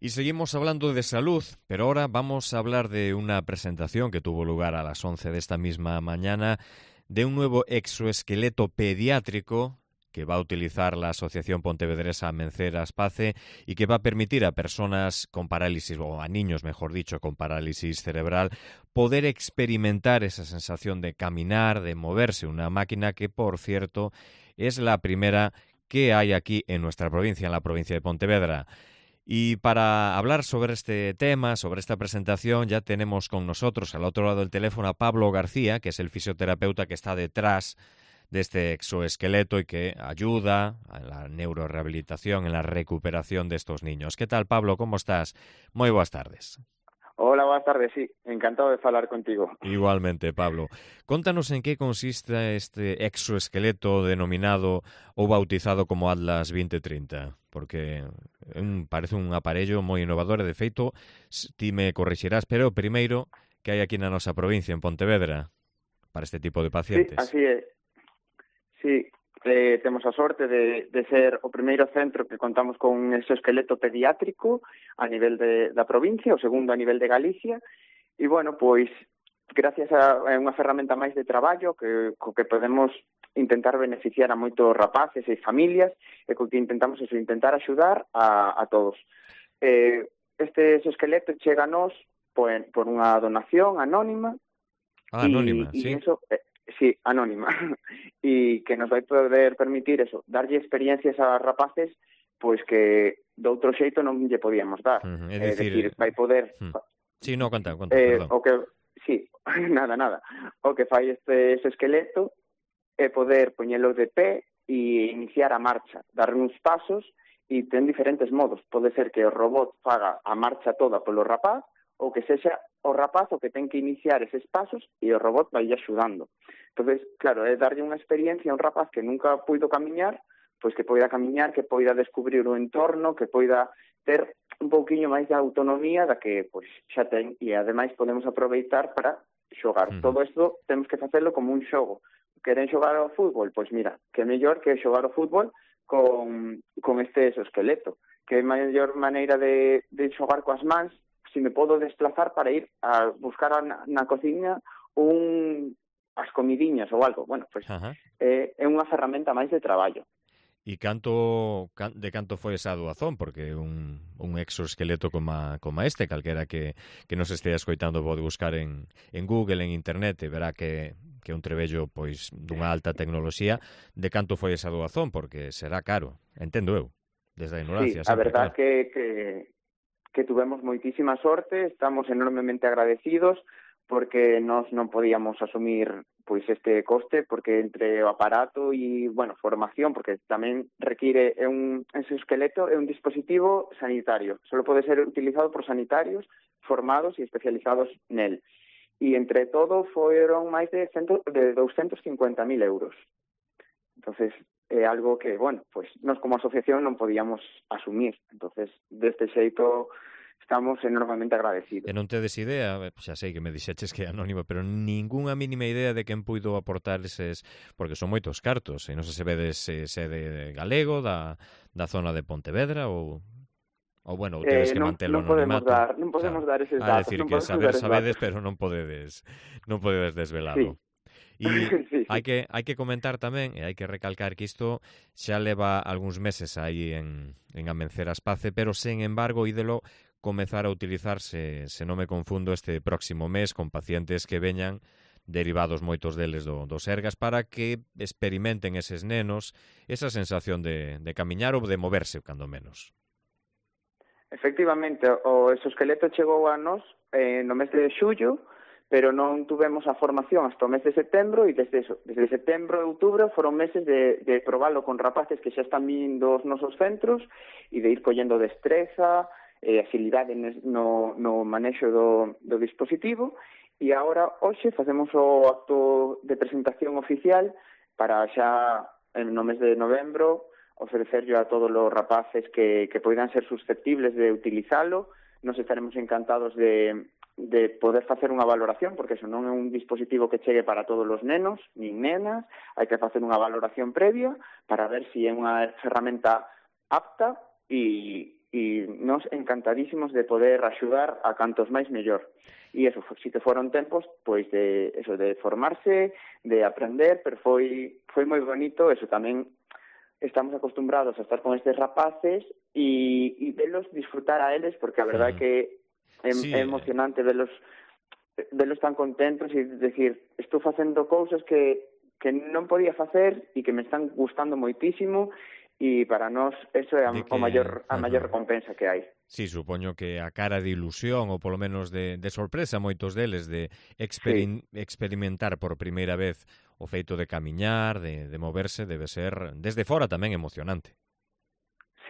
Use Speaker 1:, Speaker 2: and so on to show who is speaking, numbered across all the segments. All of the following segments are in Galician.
Speaker 1: Y seguimos hablando de salud, pero ahora vamos a hablar de una presentación que tuvo lugar a las 11 de esta misma mañana de un nuevo exoesqueleto pediátrico que va a utilizar la Asociación Pontevedresa Amenceras Pace y que va a permitir a personas con parálisis, o a niños, mejor dicho, con parálisis cerebral, poder experimentar esa sensación de caminar, de moverse. Una máquina que, por cierto, es la primera que hay aquí en nuestra provincia, en la provincia de Pontevedra. Y para hablar sobre este tema, sobre esta presentación, ya tenemos con nosotros al otro lado del teléfono a Pablo García, que es el fisioterapeuta que está detrás de este exoesqueleto y que ayuda a la neurorehabilitación, en la recuperación de estos niños. ¿Qué tal, Pablo? ¿Cómo estás? Muy buenas tardes.
Speaker 2: Hola, buenas tardes, sí. Encantado de falar contigo.
Speaker 1: Igualmente, Pablo. Contanos en qué consiste este exoesqueleto denominado ou bautizado como Atlas 2030, porque parece un aparello moi innovador e, de feito, ti me corrixirás, pero primeiro que hai aquí na nosa provincia, en Pontevedra, para este tipo de
Speaker 2: Sí,
Speaker 1: pacientes.
Speaker 2: así é. Sí, temos a sorte de ser o primeiro centro que contamos con un exoesqueleto pediátrico a nivel da provincia, o segundo a nivel de Galicia, e, bueno, pois, gracias a unha ferramenta máis de traballo co que podemos intentar beneficiar a moitos rapaces e familias e co que intentamos intentar axudar a todos. Este exoesqueleto chega a nós por unha donación anónima.
Speaker 1: Ah, anónima,
Speaker 2: Y
Speaker 1: sí.
Speaker 2: eso, sí, anónima, y que nos vai poder permitir eso, darlle experiencias a rapaces pois que de outro xeito non lle podíamos dar.
Speaker 1: É
Speaker 2: Decir,
Speaker 1: dicir...
Speaker 2: vai poder...
Speaker 1: Sí, no, conta, perdón.
Speaker 2: O que, sí, nada. O que fai este esqueleto é poder poñelo de pé e iniciar a marcha, dar uns pasos, e ten diferentes modos. Pode ser que o robot faga a marcha toda polo rapaz, ou que sexa o rapaz o que ten que iniciar eses pasos e o robot vai axudando. Entonces, claro, é darlle unha experiencia a un rapaz que nunca puido camiñar, pois que poida camiñar, que poida descubrir o entorno, que poida ter un pouquiño máis de autonomía da que pois xa ten, e ademais podemos aproveitar para xogar. Todo isto temos que facelo como un xogo. Queren xogar ao fútbol? Pois mira, que mellor que xogar ao fútbol con este exoesqueleto. Que mellor maneira de xogar coas mans se me podo desplazar para ir a buscar na cociña as comidiñas ou algo. Bueno, pois é unha ferramenta máis de traballo.
Speaker 1: E de canto foi esa doazón? Porque un exoesqueleto como este, calquera que nos estea escoitando pode buscar en Google, en Internet, e verá que é un trebello pois dunha alta tecnoloxía. De canto foi esa doazón? Porque será caro, entendo eu, desde a ignorancia.
Speaker 2: Sí, a
Speaker 1: sempre,
Speaker 2: verdad
Speaker 1: claro.
Speaker 2: que tuvemos moitísima sorte, estamos enormemente agradecidos, porque nós non podíamos asumir pois este coste, porque entre o aparato e, bueno, formación, porque tamén require un exoesqueleto, é un dispositivo sanitario, só pode ser utilizado por sanitarios formados e especializados nel. E entre todo foron máis de 250.000 euros. Entonces, é algo que, bueno, pues nós como asociación non podíamos asumir. Entonces, deste xeito estamos enormemente agradecidos.
Speaker 1: E non tedes idea, xa sei que me dixeches que é anónimo, pero ningunha mínima idea de quen puido aportar eses, porque son moitos cartos, e non sei se vedes sede galego, da zona de Pontevedra, ou bueno, ou tedes que mantelo anonimato.
Speaker 2: Non podemos dar eses
Speaker 1: A
Speaker 2: datos.
Speaker 1: decir
Speaker 2: Non
Speaker 1: que
Speaker 2: podemos
Speaker 1: sabedes,
Speaker 2: datos.
Speaker 1: pero non podedes desvelalo.
Speaker 2: Sí.
Speaker 1: E
Speaker 2: Sí.
Speaker 1: hai que comentar tamén, e hai que recalcar que isto xa leva algúns meses aí en Amenceras Pace, pero, sen embargo, ídelo comezar a utilizarse, se non me confundo, este próximo mes con pacientes que veñan derivados moitos deles do Sergas, para que experimenten eses nenos esa sensación de camiñar ou de moverse, cando menos.
Speaker 2: Efectivamente, o exoesqueleto chegou a nós no mes de xullo, pero non tuvemos a formación hasta o mes de setembro, e desde setembro e outubro foron meses de probalo con rapaces que xa están vindo aos nosos centros e de ir collendo destreza, agilidade no manexo do dispositivo, e agora, hoxe, facemos o acto de presentación oficial para xa no mes de novembro ofrecerlo a todos os rapaces que poidan ser susceptibles de utilizalo. Nos estaremos encantados de poder facer unha valoración, porque iso non é un dispositivo que chegue para todos os nenos, nin nenas, hai que facer unha valoración previa para ver se é unha ferramenta apta e nos encantadísimos de poder axudar a cantos máis mellor. E eso, sí que foron tempos pois de formarse, de aprender, pero foi moi bonito, eso tamén estamos acostumbrados a estar con estes rapaces e velos disfrutar a eles, porque a verdade que é emocionante velos tan contentos e decir, estou facendo cousas que non podía facer e que me están gustando moitísimo, e para nós eso é a maior recompensa que hai.
Speaker 1: Sí, supoño que a cara de ilusión ou polo menos de sorpresa moitos deles de experimentar por primeira vez o feito de camiñar, de moverse, debe ser desde fora tamén emocionante.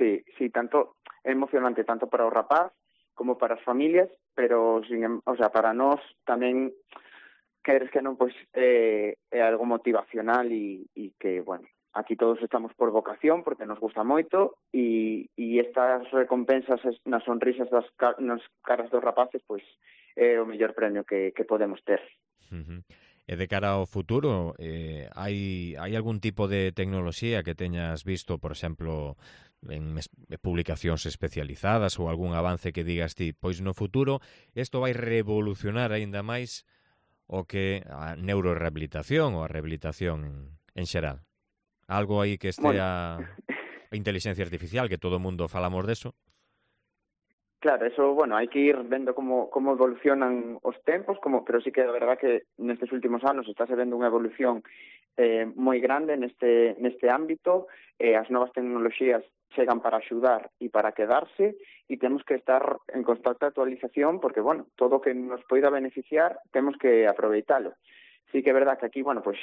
Speaker 2: Sí, tanto é emocionante tanto para o rapaz como para as familias, pero para nós tamén queres que non, pois é algo motivacional e que, bueno, aquí todos estamos por vocación porque nos gusta moito e estas recompensas nas sonrisas nas caras dos rapaces, pois é o mellor premio que podemos ter.
Speaker 1: E de cara ao futuro, hai algún tipo de tecnoloxía que teñas visto, por exemplo, en publicacións especializadas ou algún avance que digas ti, pois no futuro isto vai revolucionar aínda máis o que a neurorehabilitación ou a rehabilitación en xeral? Algo aí que estea a inteligencia artificial, que todo o mundo falamos deso?
Speaker 2: Claro, eso, hai que ir vendo como evolucionan os tempos, pero sí que é verdad que nestes últimos anos está se vendo unha evolución moi grande neste ámbito, as novas tecnoloxías chegan para axudar e para quedarse, e temos que estar en constante actualización porque, todo o que nos poida beneficiar temos que aproveitalo. Sí que é verdad que aquí, pois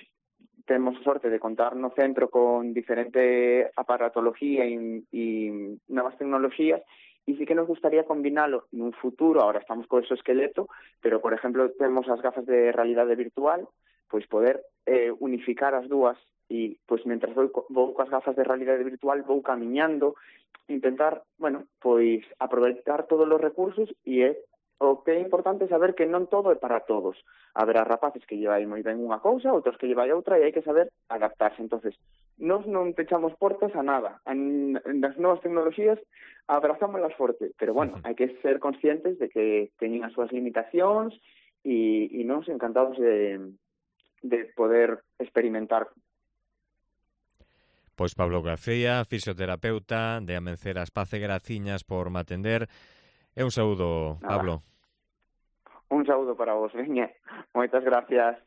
Speaker 2: temos a sorte de contar no centro con diferente aparatología e novas tecnoloxías, e sí que nos gustaría combinalo nun futuro. Ahora estamos co exoesqueleto, pero, por exemplo, temos as gafas de realidade virtual, pois poder unificar as dúas e, pois, mentras vou coas gafas de realidade virtual, vou camiñando, intentar, pois, aproveitar todos os recursos, e o que é importante saber que non todo é para todos. Haberá rapaces que llevai moi ben unha cousa, outros que llevai outra, e hai que saber adaptarse. Entonces, nós non pechamos portas a nada. Nas novas tecnoloxías abrazámolas forte, pero, hai que ser conscientes de que teñen as súas limitacións e nós encantados de poder experimentar.
Speaker 1: Pois Pablo García, fisioterapeuta de Amencer Aspace, graciñas por me atender. E un saúdo, Pablo.
Speaker 2: Un saúdo para vos, veña. Moitas gracias.